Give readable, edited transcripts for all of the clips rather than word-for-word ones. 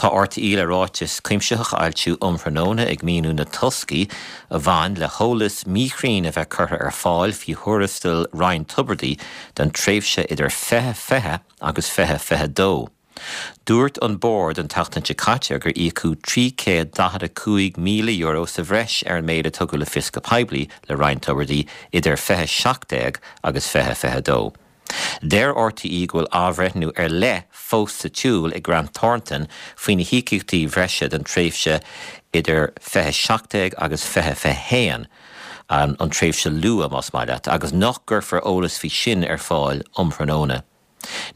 Tá RTÉ le ráiteas cuimsitheach a fhoilsiú um thráthnóna ag míniú na toscaí a bhain le heolas míchruinn a bheith curtha ar fáil faoi thuarastal Ryan Tubridy don tréimhse idir 2020 agus 2022. Dúirt an Bord an tseachtain seo caite gur íocadh €345,000 sa bhreis ar an méid a tugadh le fios go poiblí le Ryan Tubridy idir 2017 agus 2022. Deir RTÉ go bhfuil athbhreithniú ar leith fós sa tsiúl ag Grant Thornton faoi na híocaíochtaí bhreise don tréimhse idir 2017 agus 2021, an tréimhse luath, más maith leat, agus nach gcuirfear eolas faoi sin ar fáil um thráthnóna.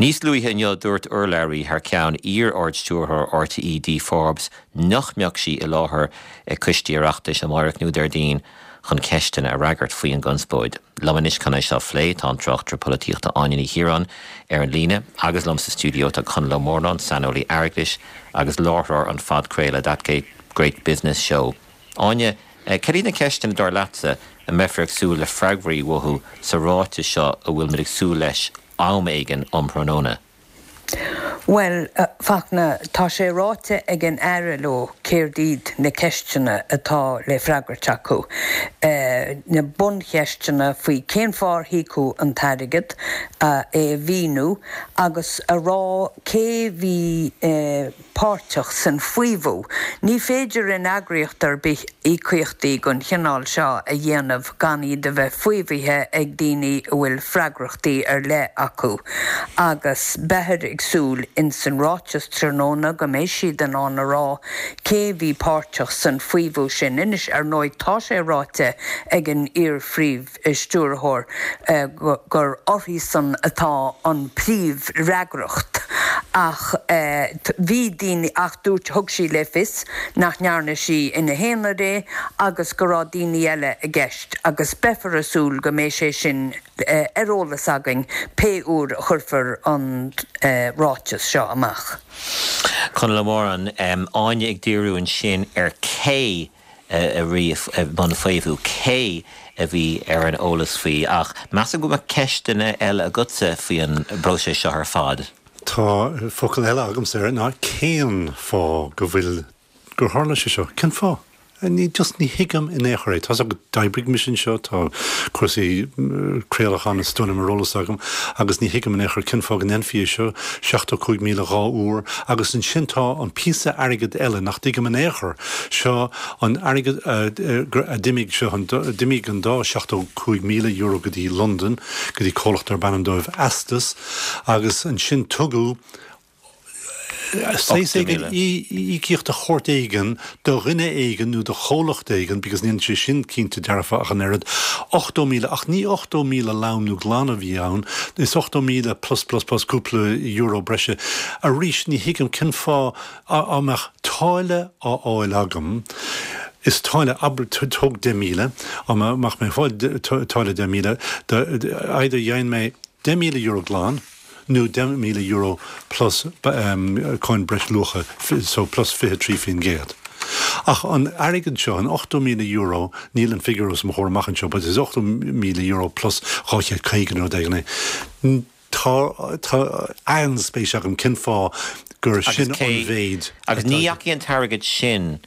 Níos luaithe inniu dúirt urlabhraí thar ceann iar-Ard-Stiúrthóir RTÉ Dee Forbes nach mbeadh sí i láthair ag coistí Oireachtais amárach nó Déardaoin chun ceisteanna a fhreagairt faoi an gconspóid. Liom anois chun é seo a phlé tá an tráchtaire polaitíochta Áine Ní Chiaráin ar an líne agus liom sa stiúideo tá Conall Ó Murnáin, saineolaí airgeadais agus láithreoir an phodchraoladh That Great Business Show. Áine, cad iad na ceisteanna dar leatsa a mbeifear ag súil le freagraí uathu sa ráiteas seo a bhfuil muid ag súil leis am éigin um thráthnóna? Bhuel, a Fachtna, tá sé ráite ag an Aire leo céard iad na ceisteanna atá le freagairt acu. Na buncheisteanna faoi cén fáth ar híocadh an t-airgead, é a mhíniú agus a rá cé bhí páirteach san faomhadh. Ní féidir in eagraíocht ar bith íocaíochtaí den chineál seo a dhéanamh gan iad a bheith faomhaithe ag daoine a bhfuil freagrachtaí ar leith acu agus beifear ag súil ins an ráiteas tráthnóna go mbeidh siad in ann a rá cé bhí páirteach san faomhadh sin. Anois, ar ndóigh, tá sé ráite ag an iar-phríomh. Stiúrthóir gur uirthi-san atá an phríomhfhreagracht ach bhí daoine ach dúirt thug sí le fios nach ndearna sí ina haonar é agus go raibh daoine eile i gceist agus beifear ag súil go mbeidh sé sin ar eolas againn pé uair a chuirfear an ráiteas seo amach. Conall Ó Móráin, Áine ag díriú ansin ar cé a bhí i mbun faomhadh, cé a bhí ar an eolas faoi. Ach measaim go mbeadh ceisteanna eile agatsa faoi an bpróiseas seo ar fad. Tá focal eile agamsa air ná cén fáth go bhfuil, gur tharla sé seo? Cén fáth? Ní, just ní thuigim in aon chor é. Tá's agat, d'oibrigh mise anseo, tá cúrsaí craolacháin is dóigh liom ar eolas agam agus ní thuigim in aon chor cén fáth go ndéanfaí é seo, 75,000 dhá uair agus ansin tá an píosa airgid eile nach dtuigim in aon chor, Seo an airgead a d'imigh, seo an, d'imigh an dá €75,000 go dtí Londain, go dtí comhlacht darb ainm dóibh Astus, agus ansin tugadh saghas éigin, íocaíocht de shórt éigin do dhuine éigin nó do chomhlacht éigin, because níl sé sin cinnte dearfa ach an oiread, 80,000, ach ní 80,000 lom nó glan a bhí ann, is 80,000 plus plus plus cúpla euro breise. Arís, ní thuigim cén fáth Dá mbeadh táille á fháil agam, is táille, abair, tóg 10,000, dá mbeadh mé ag fáil táille 10,000, either gheibheann mé €10,000 glan nó €10,000 plus cáin breisluacha, so plus 23%. Ach an airgead seo, an €80,000, níl an figiúr os mo chomhair amach anseo, but is €80,000 plus 250 nó rud éigin é. Tá, tá an-spéis agam cén fáth gur sin an mhéid Agus ní dheachaigh an t-airgead sin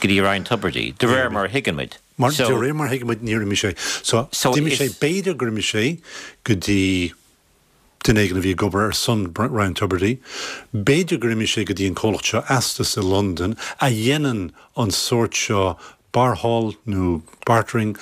go dtí Ryan Tubridy, de réir mar a thuigeann muid. Mar, de réir mar a thuigeann muid, níor imigh sé. So, d'imigh sé, b'fhéidir gur imigh sé go dtí duine éigin a bhí ag obair ar son Ryan Tubridy, b'fhéidir gur imigh sé go dtí an comhlacht seo Astus i Londain a dhéanann an sórt seo barrtháil nó bartering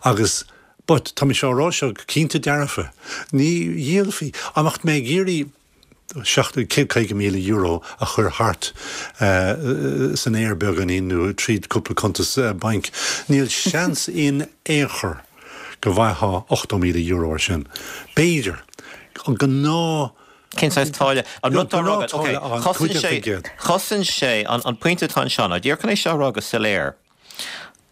agus But, tá mise á rá seo go cinnte dearfa, ní dhíolfaí, dá mbeadh mé ag iarraidh €150,000 a chur thart san aer beagáinín nó tríd cúpla cuntas bainc, níl seans in aon chor go bhfaightheá €80,000 ar sin. B'fhéidir. An gnáth. Cén saghas táille? An rud atá á rá agat, ok, chosain sé, chosain sé, an pointe atá anseo ná, díreach chun é seo a rá go soiléir,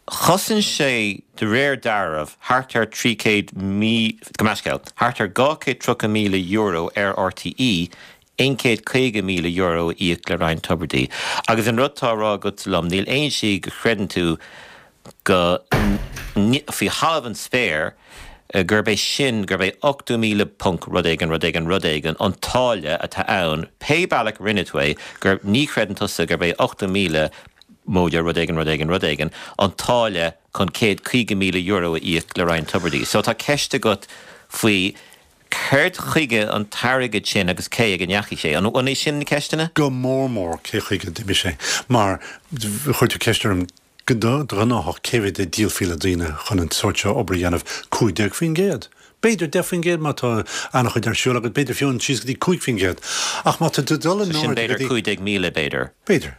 Chosain sé, de réir dealraimh, thart ar 300 mí, gabh mo leithscéal, thart ar €230,000 ar RTÉ, €150,000 a íoc le Ryan Tubridy. Agus an rud atá á rá agat liom, níl aon slí go chreideann tú go, faoi thalamh an spéir. gurb é sin, gurb é 80,000 ponc rud éigin, rud éigin, rud éigin an táille atá ann, pé bealach a rinne tú é, gur, ní chreideann tusa gurb é 80,000 móide rud éigin, rud éigin, rud éigin an táille chun €150,000 a íoc le Ryan Tubridy. So tá ceist agat faoi céard chuige an t-airgead sin agus cé ag a ndeachaigh sé. An é sin na ceisteanna? Go mór mór cé chuige a d'imigh sé. Mar chuir tú ceist orm go gnáthach cé mhéad a dhíolfaí le daoine chun an sórt seo obair a dhéanamh? 15%. B'fhéidir 10% má tá an-chuid ar siúl agat, b'fhéidir fiú síos go dtí 5%. Ach má tá tú ag dul in airde go dtí. So sin b'fhéidir 15,000 b'fhéidir. B'fhéidir.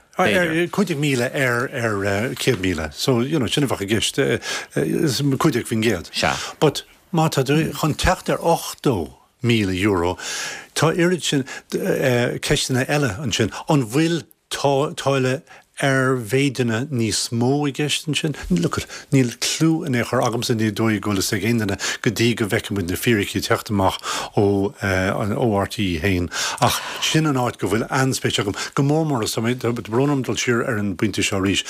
15,000 ar 100,000. So, you know, sin a bheadh i gceist, 15%. Sea. But má tá tú chun teacht ar €80,000, tá oiread sin ceisteanna eile ansin. An bhfuil táille ar mhéideanna níos mó i gceist ansin? Look, níl cliú in aon chor agamsa, ní dóigh go bhfuil fhios ag aon duine go dtí go bhfeicfidh muid na fíricí ag teacht amach ó ó RTÉ féin. Ach sin an áit go bhfuil an-spéis agam, go mór mór, is tá mé, tá brón orm dul siar ar an bpointe seo arís,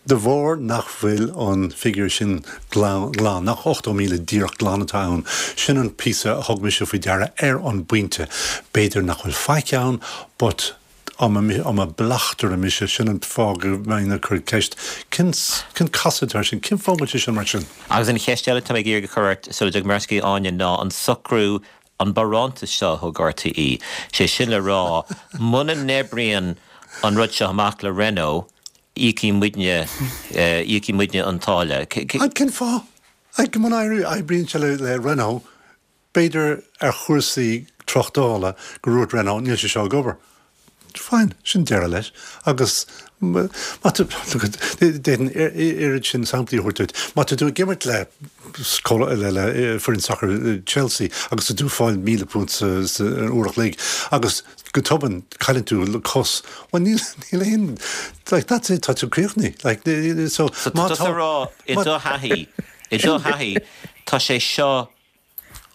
De bharr nach bhfuil an figiúr sin glan, nach 80,000 díreach glan atá ann, sin an píosa a thug mise faoi deara ar an bpointe. B'fhéidir nach bhfuil faic ann, but dá mba bleachtaire mise, sin an fáth go mbeinn ag cur ceist, cén cén casadh atá air sin, cén fáth go bhfuil sé sin mar sin? Agus an cheist eile atá mé ag iarraidh a chur ort sula dtiocfaidh mé ar ais go dtí Áine ná an socrú, an barántas seo a thug RTÉ, sé sin le rá, muna n-oibríonn an rud seo amach le Renault, Íocfaidh muidne, íocfaidh muidne an táille. Cén fáth? Muna oibríonn sé le Renault, b'fhéidir ar chúrsaí tráchtála go ndúirt Renault níl sé seo ag obair. Fine, sin deireadh leis. Agus má tá, d'fhéadfainn oiread sin samplaí a thabhairt duit. Má tá tú ag imirt le le foireann sacair Chelsea agus tá tú ag fáil £1,000 sa uair a chloig agus go tobann cailleann tú cos, bhuel níl, níl aon, like that's it, tá tú críochnaithe, like so So tá tusa ag rá i do thaithí, i do thaithí, tá sé seo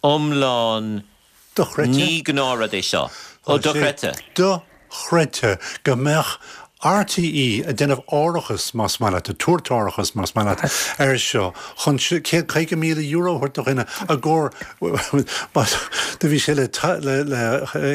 iomlán, Dochreidte. ní gnáthrud é seo. Ó, dochreidte. Dochreidte go mbeadh RTÉ ag déanamh árachas, más maith leat, ag tabhairt árachas, más maith leat, air seo chun €150,000 a thabhairt do dhuine i gcomhair, do bhí sé le é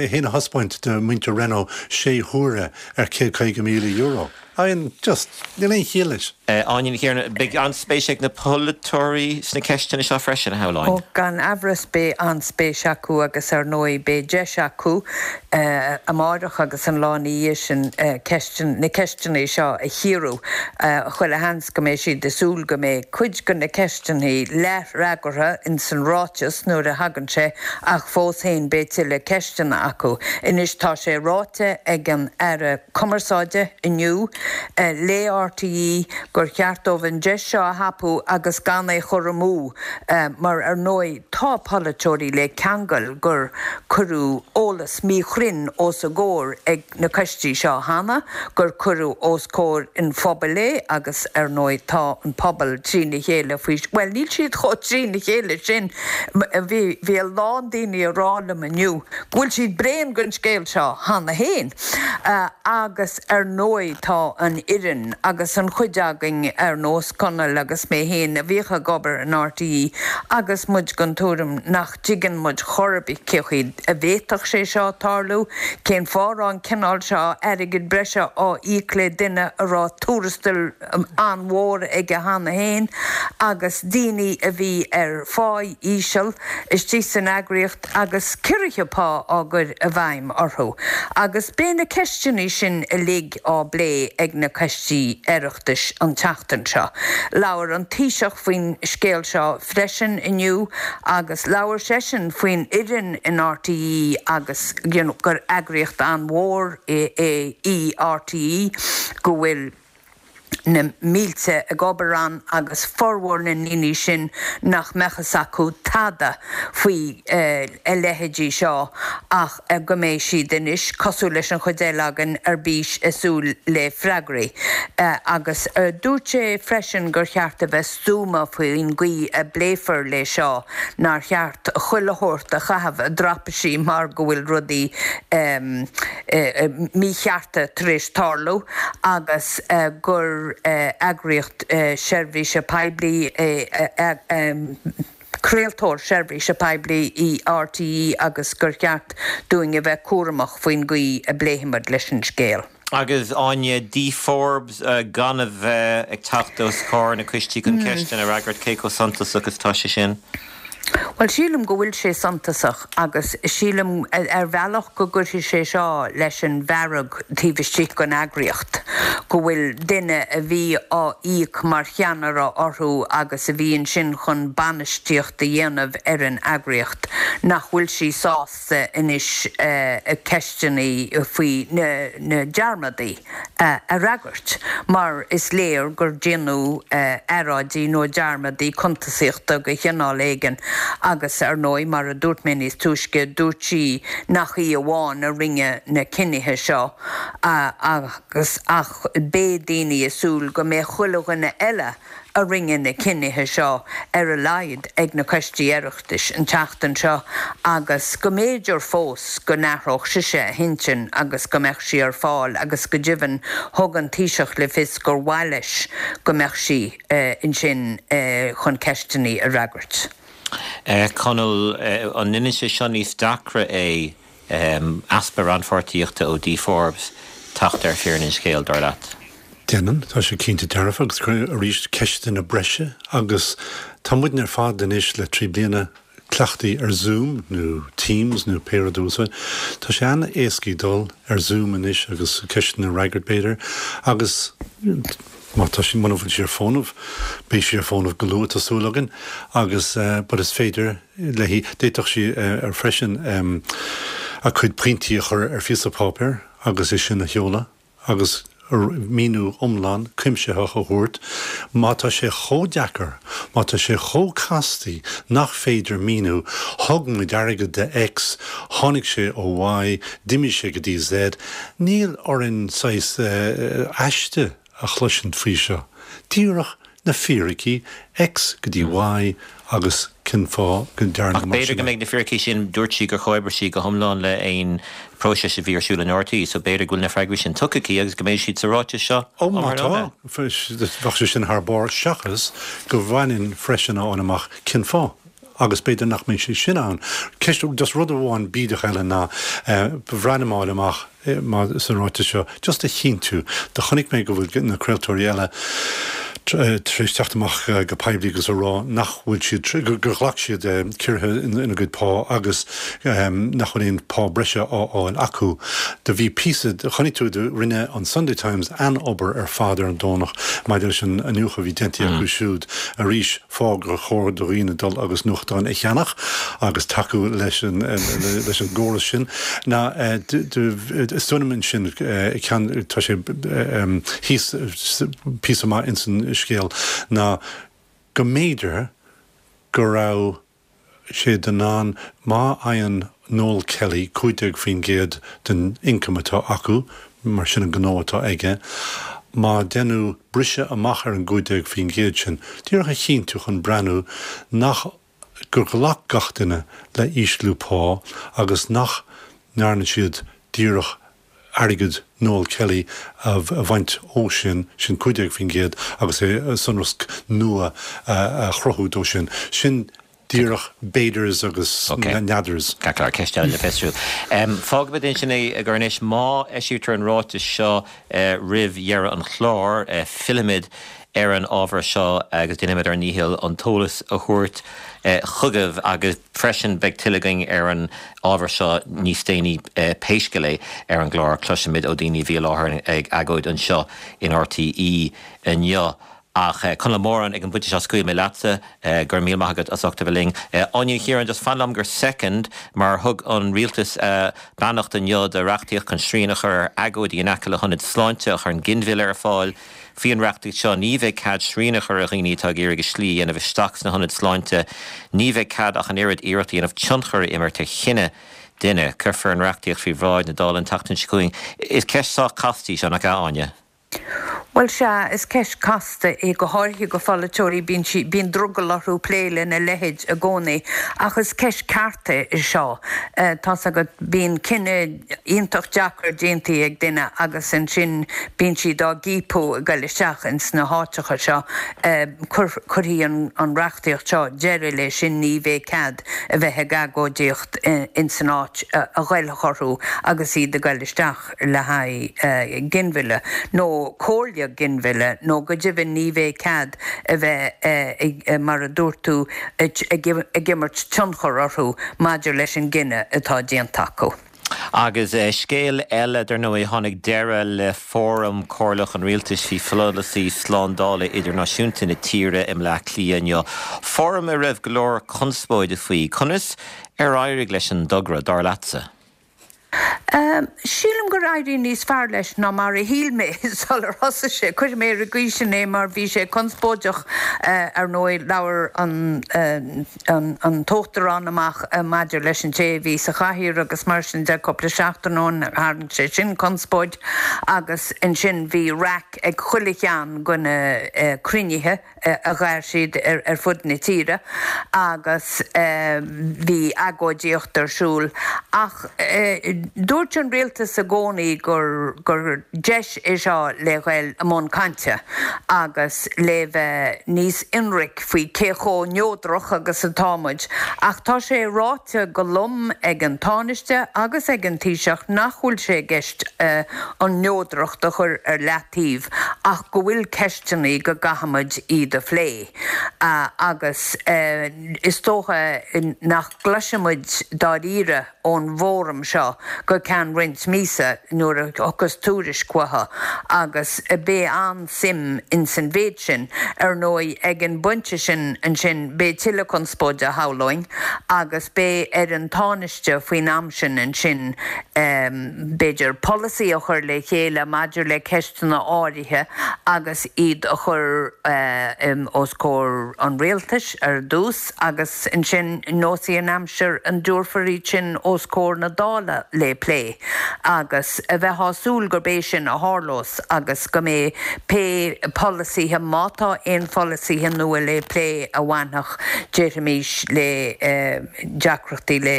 féin a thaispeáint do mhuintir Renault sé huaire ar €150,000. I mean, just, níl aon chiall leis. Áine Ní Chiaráin, Beidh an-spéis ag na polaiteoirí sna ceisteanna seo freisin, a shamhlóinn. Ó, gan amhras beidh an-spéis acu agus ar ndóigh beidh deis acu amáireach agus an lá ina dhiaidh sin ceisteanna, na ceisteanna seo a chíoradh. Chuile sheans go mbeidh siad ag súil go mbeidh cuid de na ceisteanna leathfhreagartha ins an ráiteas nuair a thagann sé ach fós féin beidh tuilleadh ceisteanna acu. Anois tá sé ráite ag an Aire Cumarsáide inniu le RTÉ gur cheart dóibh an deis seo a thapú agus gan é chur amú mar ar ndóigh tá polaiteoirí le ceangal gur cuireadh eolas míchruinn os a gcomhair ag na coistí seo cheana, gur cuireadh os comhair an phobail é agus ar ndóigh tá an pobal trína chéile faoi, bhuel níl siad chomh trína chéile sin, bhí bhí a lán daoine ag rá liom inniu go bhfuil siad bréan den scéal seo cheana féin. Agus ar ndóigh tá an fhoireann agus an chuid againn ar nós Conall agus mé féin a bhíodh ag obair in RTÉ agus muid den tuairim nach dtuigeann muid chor ar bith cé chaoi a bhféadfadh sé seo tarlú, cén fáth a raibh an cineál seo airgid breise á íoc le duine a raibh tuarastal an-mhór aige cheana féin agus daoine a bhí ar pháí íseal istigh san eagraíocht. agus ciorruithe pá á gcur i bhfeidhm orthu, agus beidh na ceisteanna sin uilig á bplé ag na coistí Oireachtais an tseachtain seo. Labhair an Taoiseach faoin scéal seo freisin inniu agus labhair seisean faoin fhoireann in RTÉ agus you know gur eagraíocht an-mhór í RTÉ, go bhfuil. na mílte ag obair ann agus formhór na ndaoine sin nach mbeadh fhios acu tada faoi a leithéidí seo ach go mbeidh siad anois, cosúil leis an chuid eile againn, ar bís ag súil le freagraí. Agus dúirt sé freisin gur cheart a bheith stuama faoin gcaoi a bpléifear le seo, nár cheart chuile shórt a chaitheamh i dtraipisí mar go bhfuil rudaí míchearta tar éis tarlú agus gur eagraíocht seirbhíse poiblí é. Craoltóir seirbhíse poiblí í RTÉ agus gur cheart dúinn a bheith cúramach faoin gcaoi a bpléifimid leis an scéal. Agus Áine, Dee Forbes gan a bheith ag teacht os comhair na coistí chun ceisteanna a fhreagairt, cé chomh suntasach is atá sé sin? Bhuel, sílim go bhfuil sé suntasach agus sílim ar bhealach go gcuirfidh sé seo leis an bhfearg taobh istigh den eagraíocht, go bhfuil duine a bhí á íoc mar cheannaire orthu agus a bhí ansin chun bainistíocht a dhéanamh ar an eagraíocht, nach bhfuil sí sásta anois ceisteanna faoi na dearmadaí a fhreagairt mar is léir gur déanadh earráidí nó dearmadaí cuntasaíochta de chineál éigin agus ar ndóigh mar a dúirt mé níos túisce dúirt sí nach í amháin a rinne na cinnithe seo agus ach beidh daoine ag súil go mbeadh chuile dhuine eile a rinne na cinnithe seo ar a laghad ag na coistí Oireachtais an tseachtain seo agus go mb'fhéidir fós go n-athródh sise a hintinn agus go mbeadh sí ar fáil agus go deimhin thug an Taoiseach le fios gur mhaith leis go mbeadh sí ansin chun ceisteanna a fhreagairt. Conall, an ndéanann sé seo níos deacra é easpa rannpháirtíochta ó Dee Forbes teacht ar fírinne an scéil, dar leat? Déanann, tá sé cinnte dearfa agus cuireann arís ceisteanna breise agus tá muidne ar fad anois le 3 bliana cleachtaithe ar Zoom nó Teams nó pé rud a úsáid. Tá sé an-éascaí dul ar Zoom anois agus ceisteanna a fhreagairt b'fhéidir agus má tá sí, muna bhfuil sí ar fónamh, beidh sí ar fónamh go luath tá súil againn agus but is féidir léi, d'fhéadfadh sí ar freisin a cuid pointí a chur ar phíosa páipéir agus é sin a sheoladh agus míniú iomlán cuimsitheach a thabhairt. Má tá sé chomh deacair, má tá sé chomh castaí nach féidir míniú, thug muid airgead do X, tháinig sé ó Y, d'imigh sé go dtí Z, níl orainn saghas aiste a chloisint faoi seo. Díreach na fíricí, X go dtí Y agus cén fáth go ndearnadh Ach mar b'fhéidir sin go é. mbeidh na fíricí sin, dúirt sí gur chomhoibrigh sí go hiomlán le aon próiseas a bhí ar siúl in RTÉ, so b'fhéidir go bhfuil na freagraí sin tugtha aici agus go mbeidh siad sa ráiteas seo Ó má tá, bheadh sé sin thar barr seachas go bhfaighinn freisin a fháil amach cén fáth agus b'fhéidir nach mbeidh sé sin ann. Ceist, just rud amháin bídeach eile ná ba bhreá liom a fháil amach, sa ráiteas seo, just a chinntiú, do chonaic mé go bhfuil na craoltóirí eile tar éis teacht amach go poiblí agus a rá nach bhfuil siad, gur ghlac siad ciorruithe ina gcuid pá agus nach bhfuil aon pá breise á fháil acu. Do bhí píosa, chonaic tú, do rinne an Sunday Times an-obair ar fad ar an Domhnach maidir leis an iniúchadh a bhí déanta acu siúd arís. fáth gur chóir do dhaoine dul agus nuachtán a cheannach agus tacú leis an leis an gcóras sin ná is dóigh liom ansin ceann tá sé thíos píosa maith ins an scéal ná go mb'fhéidir go raibh sé in ann, má fhaigheann Noel Kelly 15% den ioncam atá acu, mar sin an gnó atá aige, má deineadh briseadh amach ar an 15% sin, díreach a chinntiú chun breathnú nach, gur ghlac gach duine le ísliú pá agus nach ndearna siad díreach airgead Noel Kelly a bhaint ó sin, sin 15% agus é sonrasc nua a chruthú dó sin. Sin díreach b'fhéidirs agus n'fheadars. Ok. Ceart, ceist eile le fiosrú. Fágfaimid ansin é gur anois, má eisítear an ráiteas seo roimh dheireadh an chláir, fillfimid ar an ábhar seo agus déanfaimid ár ndícheall an t-eolas a thabhairt chugaibh agus freisin beidh tuilleadh againn ar an ábhar seo níos déanaí pé scéal é ar an gclár. Cloisfimid ó daoine a bhí i láthair ag agóid anseo in RTÉ inniu. Ach Conall Moran, ag an bpointe seo scaoilfidh mé leatsa. Go raibh míle maith agat as ucht a bheith linn. Áine Ní Chiaráin, just fan liom go soicind mar thug an rialtas beannacht inniu do reachtaíocht chun srian a chur ar agóidí in aice le hionaid sláinte a chuireann ginmhilleadh ar fáil. Faoi an reachtaíocht seo, ní bheidh cead srian a chur ar dhaoine atá ag iarraidh a slí a dhéanamh isteach sna hionaid sláinte. Ní bheidh cead ach an oiread iarracht a dhéanamh tionchar a imirt ar chinneadh duine. Cuirfear an reachtaíocht faoi bhráid na Dála an tseachtain seo chugainn. Is ceist sách casta í seo, nach ea, Áine? Bhuel, sea, is ceist casta é, go háirithe go pholaiteoirí, bíonn sí, bíonn drogall orthu plé lena leithéid i gcónaí, ach is ceist cearta é seo. Tá's agat, bíonn cinneadh iontach deacair déantaí ag duine agus ansin bíonn siad á gciapadh ag goil isteach ins na háiteacha seo. Cuirfidh an reachtaíocht seo deireadh le sin, ní bheidh cead a bheith ag agóidíocht ins an áit a ghoillfeadh orthu agus iad ag goil isteach. le haghaidh ginmhilleadh nó comhairle ginmhilleadh nó go deimhin ní bheidh cead a bheith ag, mar a dúirt tú, ag imirt tionchar orthu maidir leis an gcinneadh atá déanta acu. Agus scéal eile, dar ndóigh, tháinig deireadh le Fóram Comhairleach an Rialtais faoi pholasaí slándála idirnáisiúnta na tíre i mBleá Cliath inniu. Fóram a raibh go leor conspóide faoi. Conas ar éirigh leis an dtogra, dar leatsa? Sílim gur éirigh níos fearr leis ná mar a shíl mé sular thosaigh sé. Cuirfidh mé ar an gcaoi sin é mar bhí sé conspóideach ar ndóigh. Labhair an tUachtarán amach maidir leis an té a bhí sa chathaoir agus mar sin de cúpla seachtain ó shin. Tharraing sé sin conspóid agus ansin bhí raic ag chuile cheann de na cruinnithe. a ghair siad ar fud na tíre agus bhí agóidíocht ar siúl ach dúirt an rialtas i gcónaí gur gur deis é seo le ghoil i mbun cainte agus le bheith níos ionraic faoi cé chomh neodrach agus atá muid ach tá sé ráite go lom ag an Tánaiste agus ag an Taoiseach nach bhfuil sé i gceist an neodracht a chur ar leataobh ach go bhfuil ceisteanna go gcaithfimid iad a phlé agus is dócha nach gcloisfimid dáiríre ón bhfóram seo go ceann roinnt míosa nuair a thiocfas tuairisc uathu agus beidh an-suim ins an mhéid sin. Ar ndóigh ag an bpointe sin ansin beidh tuilleadh conspóide shamhlóinn agus beidh ar an Tánaiste faoin am sin ansin b'fhéidir, polasaí a chur le chéile maidir le ceisteanna áirithe agus iad a chur os comhair an rialtais ar dtús agus ansin neosfaidh an aimsir an dtabharfar iad sin os comhair na Dála le plé agus a bheith á súil gurb é sin a tharlós agus go mbeidh pé polasaithe, má tá aon pholasaithe nua le plé a bhainfeadh, déarfaimis, le deacrachtaí le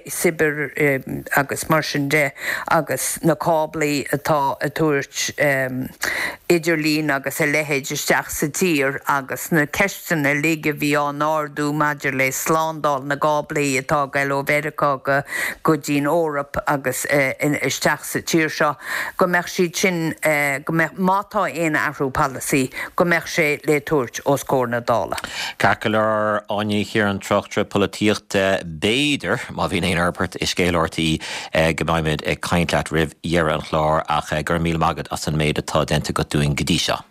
cibear agus mar sin de agus na cáblaí atá ag tabhairt idirlín agus a leithéid isteach sa tír agus na ceisteanna uilig a bhí á n-ardú maidir le slándáil na gcáblaí atá ag goil ó Mheiriceá go go dtí'n Eoraip agus isteach sa tír seo, go mbeadh siad sin, go mbeadh, má tá aon athrú polasaí, go mbeadh sé le tabhairt os comhair na Dála. Ceart go leor, Áine Ní Chiaráin, tráchtaire polaitíochta, b'fhéidir, má bhíonn aon fhorbairt i scéal RTÉ, go mbeimid ag caint leat roimh dheireadh an chláir ach go raibh míle maith agat as an méid atá déanta agat dúinn go dtí seo.